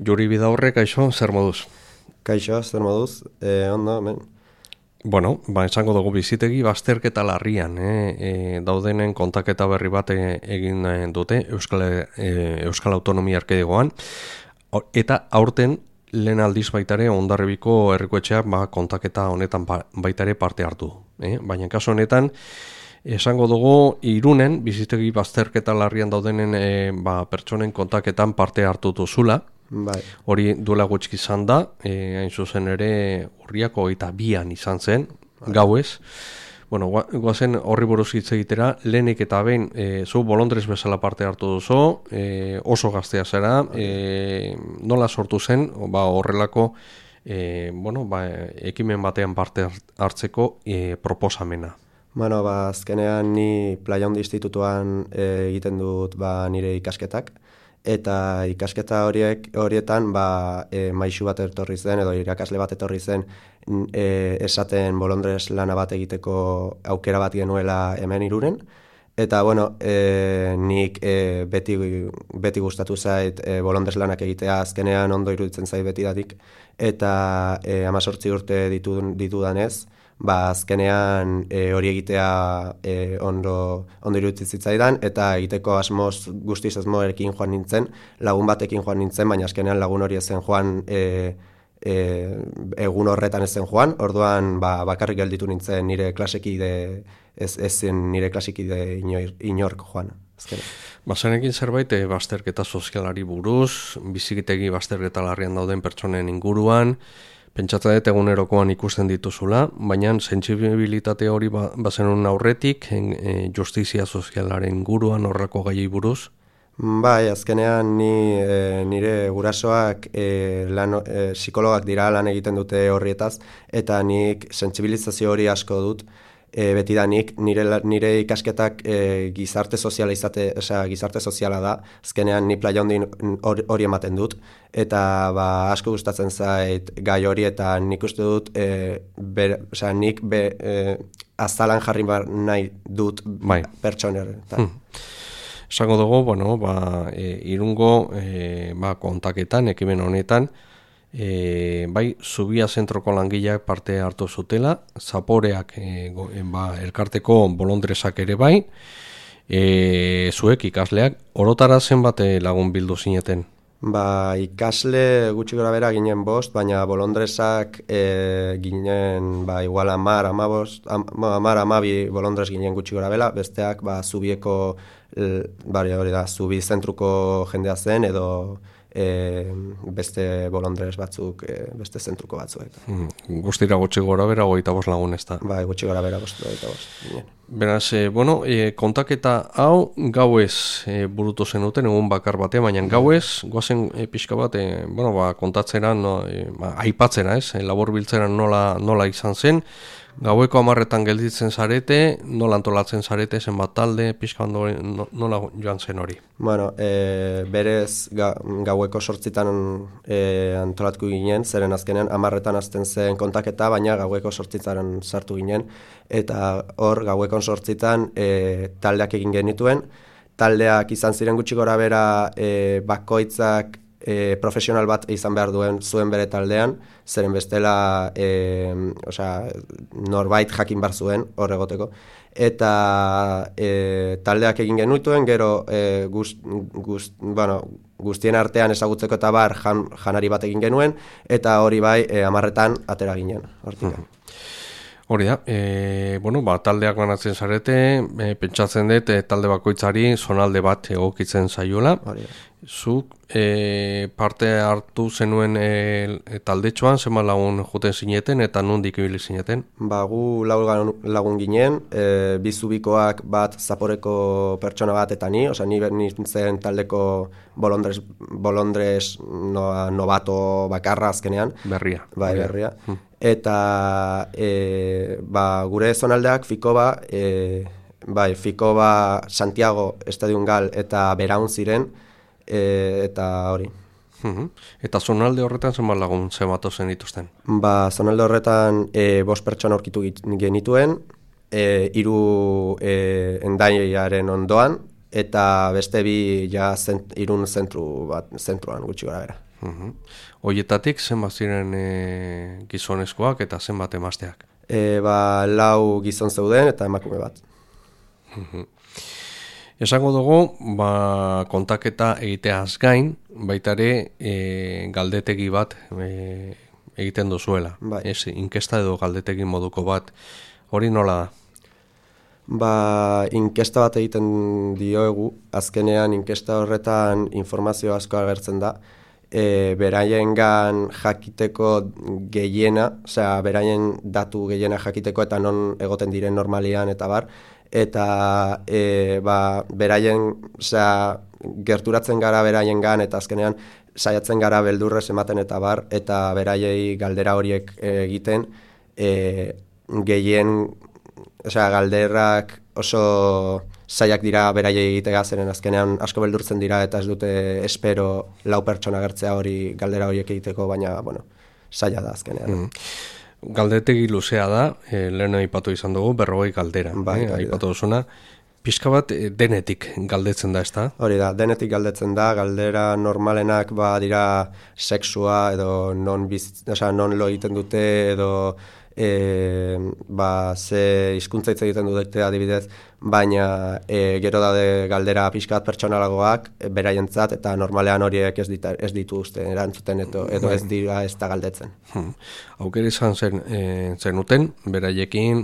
Juri Bidaurre, kaixo, zer moduz? Kaixo, zer moduz? Ondo, hemen. Bueno, esango dugu bizitegi bazterketa larrian, daudenen kontaketa berri bat egin dute Euskal Autonomia Erkidegoan, eta aurten lehen aldiz baitare Hondarribiko herrikoetxeak kontaketa honetan baitare parte hartu. Baina kasu honetan, esango dugu Irunen bizitegi bazterketa larrian daudenen pertsonen kontaketan parte hartu duzula. Bai. Hori duela gutxi izan da, hain zuzen ere urriako 22an izan zen, gauez. Bueno, goazen horri buruz hitz egitera, lehenik eta behin zu bolondrez bezala parte hartu duzu, oso gaztea zera, nola sortu zen, horrelako ekimen batean parte hartzeko proposamena. Bueno, azkenean ni Playa Handi Institutuan egiten dut nire ikasketak, eta ikasketa horietan maisu bat etorri zen, edo irakasle bat etorri zen, esaten bolondrez lana bat egiteko aukera bat genuela hemen Irunen. Eta, bueno, nik beti gustatu zait bolondrez lanak egitea, azkenean ondo iruditzen zait betidatik, eta 18 urte ditudanez, azkenean hori egitea ondo iruditzen zitzaidan, eta egiteko guztiz asmoekin joan nintzen, lagun batekin joan nintzen, baina azkenean lagun hori ezen joan, egun horretan ezen joan, orduan bakarrik gelditu nintzen nire klasekide, ezen nire klasekide inork joan. Bazenekin zerbait bazterketa sozialari buruz, bizikitegi bazterketa larrian dauden pertsonen inguruan, pentsatzen dut egunerokoan ikusten dituzula, baina sentsibilitate hori bazenun aurretik, justizia sozialaren inguruan horrako gaiei buruz? Bai, azkenean nire gurasoak psikologak dira lan egiten dute horrietaz, eta nik sentsibilizazio hori asko dut, betidanik nire ikasketak gizarte soziala da, azkenean ni Playa Handi hori ematen dut, eta asko gustatzen zait gai hori, eta nik uste dut nik azalan jarri nahi dut pertsoner. Esango dugu, Irungo kontaketan, ekimen honetan, Zubia zentroko langileak parte hartu zutela, Zaporeak elkarteko bolondrezak ere bai, zuek ikasleak, orotara zenbat lagun bildu zineten? Ikasle gutxi gora bera ginen 5, baina bolondrezak ginen igual 10-12 bolondrez ginen gutxi gora bela, besteak Zubieko, hori da, Zubi zentruko jendea zen, edo beste bolondrez batzuk, beste zentruko batzuek. Guztira gutxi gora bera 25 lagun ez da? Gutxi gora bera 25. Beraz, kontaketa hau gauez burutu zenuten, egun bakar batean, baina gauez, goazen pixka bat, kontatzera, aipatzera, labor biltzera nola izan zen, gaueko 10etan gelditzen zarete, nola antolatzen zarete, zenbat talde, pixka nola joan zen hori? Berez gaueko 8etan antolatku ginen, zeren azkenean 10etan azten zen kontaketa, baina gaueko 8etan sartu ginen, eta hor gaueko 8etan taldeak egin genituen, taldeak izan ziren gutxi gora bera bakoitzak profesional bat izan behar zuen bere taldean, zeren bestela norbait jakin bar zuen hor egoteko. Eta taldeak egin genituen, gero guztien artean ezagutzeko eta janari bat egin genuen, eta hori 10etan atera ginen. Hori da, taldeak banatzen zarete, pentsatzen dut talde bakoitzari zonalde bat egokitzen zaiola. Zuk parte hartu zenuen taldetxoan, zenbat lagun joten zineten eta nondik ibili zineten? Gu lagun ginen, bi Zubikoak bat Zaporeko pertsona bat eta ni nintzen taldeko bolondrez nobato bakarra azkenean. Berria. Berria. Eta gure zonaldeak Fikoba, Santiago, Estadion Gal eta Beraun ziren, eta hori. Eta zonalde horretan zenbat lagun zenbatu zen dituzten? Zonalde horretan 5 pertsona aurkitu genituen, 3 Hendaiaren ondoan, eta beste 2 Irun zentruan gutxi gora bera. Hoietatik zenbat ziren gizonezkoak eta zenbat emazteak? 4 gizon zeuden eta emakume bat. Esango dugu, kontaketa egiteaz gain, baita ere galdetegi bat egiten duzuela. Bai. Inkesta edo galdetegi moduko bat, hori nola da? Inkesta bat egiten diogu, azkenean inkesta horretan informazio asko agertzen da, beraiengan jakiteko gehiena, osea, beraien datu gehiena jakiteko eta non egoten diren normalian eta bar, eta beraien, osea, gerturatzen gara beraiengan eta azkenean saiatzen gara beldurrez ematen eta bar, eta beraiei galdera horiek egiten, gehien, osea, galderrak oso zaiak dira beraiei egitea, zeren azkenean asko beldurtzen dira eta ez dute espero 4 pertsona agertzea hori galdera horiek egiteko, baina, bueno, zaila da azkenean. Galdetegi luzea da, lehen aipatu izan dugu, 40 galdera. Aipatu duzuna, pixka bat denetik galdetzen da, ezta? Hori da, denetik galdetzen da, galdera normalenak dira sexua edo non lo egiten dute edo ze hizkuntza hitz egiten dute adibidez, baina gero daude galdera pixkat pertsonalagoak beraientzat eta normalean horiek ez dituzte erantzuten edo ez dira ez da galdetzen. Aukera izan zenuten, beraiekin,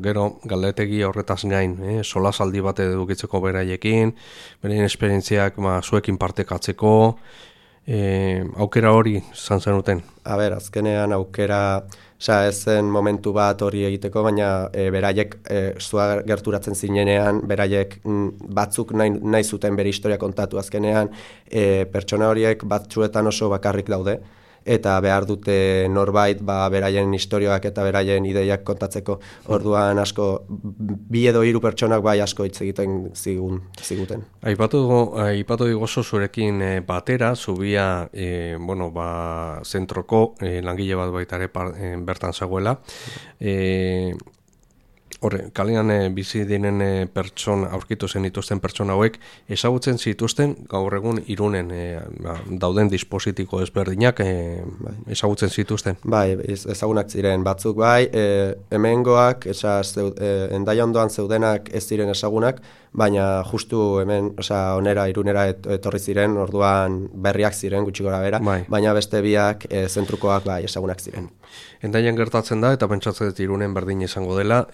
gero galdetegi horretaz gain, solasaldi bat edukitzeko beraiekin, beraien esperientziak zuekin partekatzeko, aukera hori izan zenuten? Azkenean aukera, ez zen momentu bat hori egiteko, baina beraiek zua gerturatzen zinenean, beraiek batzuk nahi zuten bere historia kontatu azkenean, pertsona horiek batzuetan oso bakarrik daude, eta behar dute norbait beraien historioak eta beraien ideiak kontatzeko. Orduan asko, 2 edo 3 pertsonak asko hitz egiten ziguten. Aipatu digozo zurekin batera, zubia zentroko langile bat baita ere bertan zegoela. Kalean bizi diren aurkitu zen dituzten pertsona hauek, ezagutzen zituzten gaur egun Irunen dauden dispositiko ezberdinak ezagutzen zituzten? Ezagunak ziren batzuk hemengoak, Hendaia ondoan zeudenak ez ziren ezagunak, baina justu hemen, onera Irunera etorri ziren, orduan berriak ziren gutxi gora bera, baina beste biak zentrukoak ezagunak ziren. Hendaian gertatzen da, eta pentsatzen dut Irunen berdin izango dela,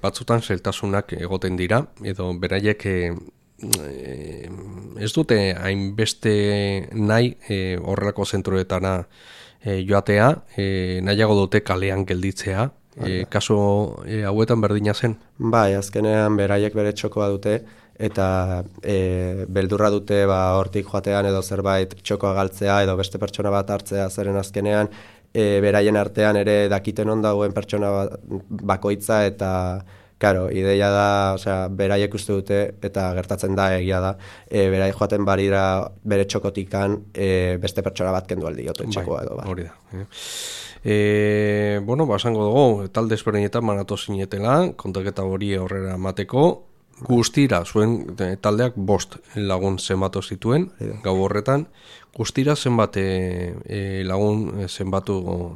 batzutan zailtasunak egoten dira, edo beraiek ez dute hainbeste nahi horrelako zentruetara joatea, nahiago dute kalean gelditzea, kasu hauetan berdina zen? Azkenean beraiek bere txokoa dute, eta beldurra dute hortik joatean edo zerbait txokoa galtzea edo beste pertsona bat hartzea, zeren azkenean beraien artean ere dakiten ondagoen pertsona bakoitza eta ideia da, beraiek uste dute eta gertatzen da egia da, beraiek joaten barira bere txokotikan beste pertsona bat kendu aldi jote txokoa edo. Hori da. Esango dugu, talde ezberdinetan manatu zinetela, kontaketa hori aurrera emateko, guztira, zuen taldeak 5 lagun zenbatu zituen, gau horretan, guztira zenbat lagun zenbatu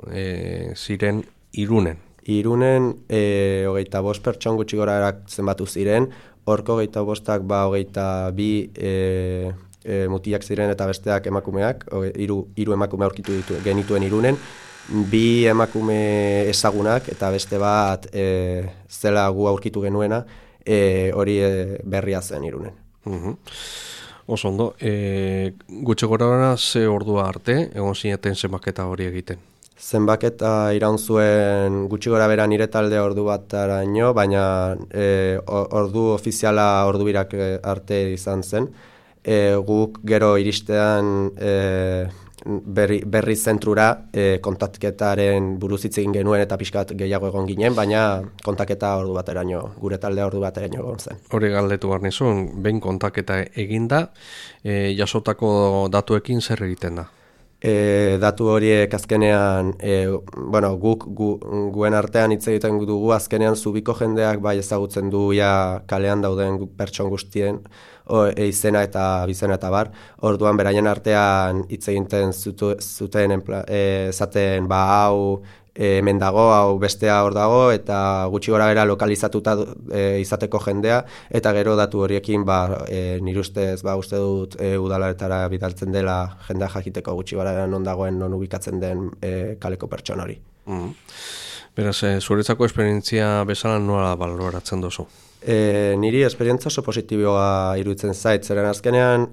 ziren Irunen? Irunen 25 pertson gutxi gora zenbatu ziren, horko 25ak 22 mutiak ziren eta besteak emakumeak, 3 emakume aurkitu genituen Irunen, 2 emakume ezagunak eta beste bat zela gu aurkitu genuena, hori berria zen Irunen. Oso ondo, gutxi gora ze ordua arte, egon zineten zenbaketa hori egiten? Zenbaketa iraun zuen gutxi gora bera nire talde ordu bataraino, baina ordu ofiziala ordu birak arte izan zen. Guk gero iristean berri zentrura kontaketaren buruz hitz egin genuen eta pixkat gehiago egon ginen, baina kontaketa ordu bateraino, gure taldea ordu bateraino egon zen. Hori galdetu behar nizun, behin kontaketa eginda, jasotako datuekin zer egiten da? Datu horiek azkenean, guen artean hitz egiten dugu, azkenean zubiko jendeak bai ezagutzen du ja kalean dauden pertson guztien izena eta bizena eta bar. Orduan beraien artean hitz egiten zuten esaten hau hemen dago, hau bestea hor dago, eta gutxi gora bera lokalizatuta izateko jendea, eta gero datu horiekin nire ustez uste dut udalaretara bidaltzen dela jendea jakiteko gutxi gora bera non dagoen, non ubikatzen den kaleko pertsona hori. Beraz, zuretzako esperientzia bezala nola baloratzen duzu? Niri esperientzia oso positiboa iruditzen zait, zeren azkenean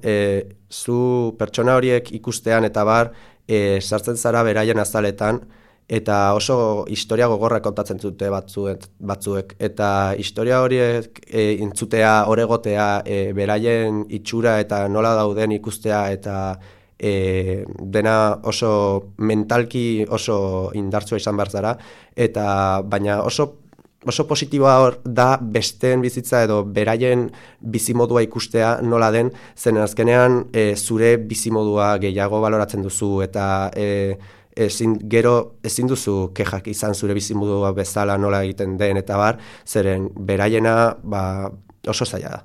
zu pertsona horiek ikustean eta bar sartzen zara beraien azaletan, eta oso historia gogorra kontatzen dute batzuek, eta historia horiek intzutea, oregotea, beraien itxura eta nola dauden ikustea, eta dena oso mentalki oso indartsua izan behar zara, baina oso positiboa da besteen bizitza edo beraien bizimodua ikustea nola den, zen azkenean zure bizimodua gehiago baloratzen duzu, eta ezin duzu kexak izan zure bizimodua bezala nola egiten den eta bar, zeren beraiena oso zaila da.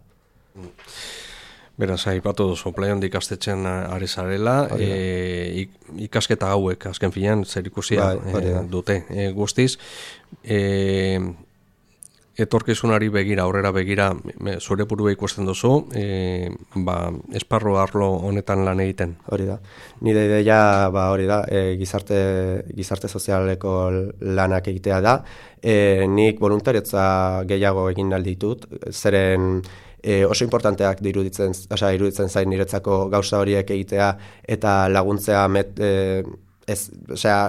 Beraz, aipatu duzu, Playland ikastetxean ari zarela, ikasketa hauek, azken finean, zer ikusia dute guztiz. Etorkizunari begira, aurrera begira, zure burua ikusten duzu, esparru arlo honetan lan egiten. Hori da. Nire ideia hori da, gizarte sozialeko lanak egitea da. Nik voluntariotza gehiago egin nahi ditut, zeren oso importanteak iruditzen zain niretzako gauza horiek egitea eta laguntzea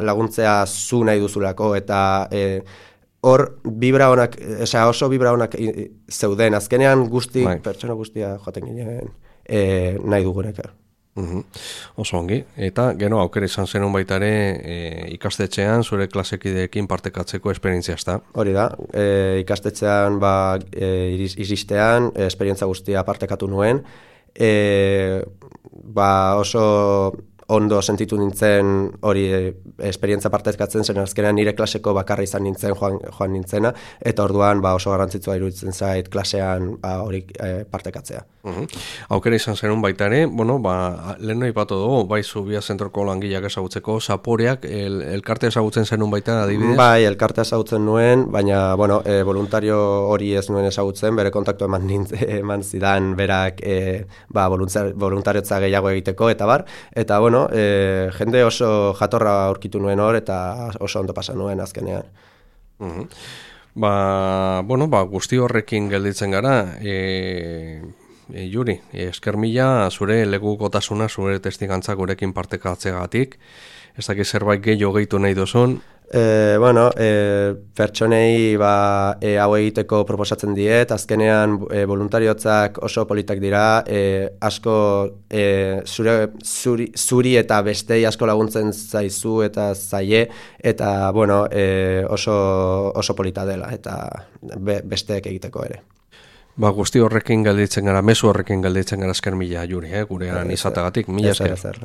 laguntzea zu nahi duzulako, eta hor oso vibra honak zeuden, azkenean pertsona guztia joaten ginen nahi dugunek. Oso ongi, eta gero aukera izan zenun baita ere ikastetxean zure klasekideekin partekatzeko esperientzia ezta? Hori da, ikastetxean iristean esperientzia guztia partekatu nuen, oso ondo sentitu nintzen hori esperientzia partekatzen zen, azkenean nire klaseko bakarra izan nintzen joan nintzena, eta orduan oso garrantzitsua iruditzen zait klasean hori partekatzea. Aukera izan zenun baita ere, lehen aipatu dugu, bai Zubia zentroko langileak ezagutzeko, Zaporeak elkarte ezagutzen zenun baita adibidez? Bai, elkarte ezagutzen nuen, baina voluntario hori ez nuen ezagutzen, bere kontaktu eman zidan berak voluntariotza gehiago egiteko, eta bar, eta jende oso jatorra aurkitu nuen hor, eta oso ondo pasa nuen azkenean. Guzti horrekin gelditzen gara, Juri, esker mila zure legukotasuna, zure testigantza gurekin partekatzeagatik, ez dakit zerbait gehiago gehitu nahi duzun? Pertsonei hau egiteko proposatzen diet, azkenean voluntariotzak oso politak dira, asko zuri eta bestei asko laguntzen zaizu eta zaie, eta oso polita dela, eta besteek egiteko ere. Guzti horrekin gelditzen gara, mezu horrekin gelditzen gara esker mila, Juri, gurean izatagatik, mila esker.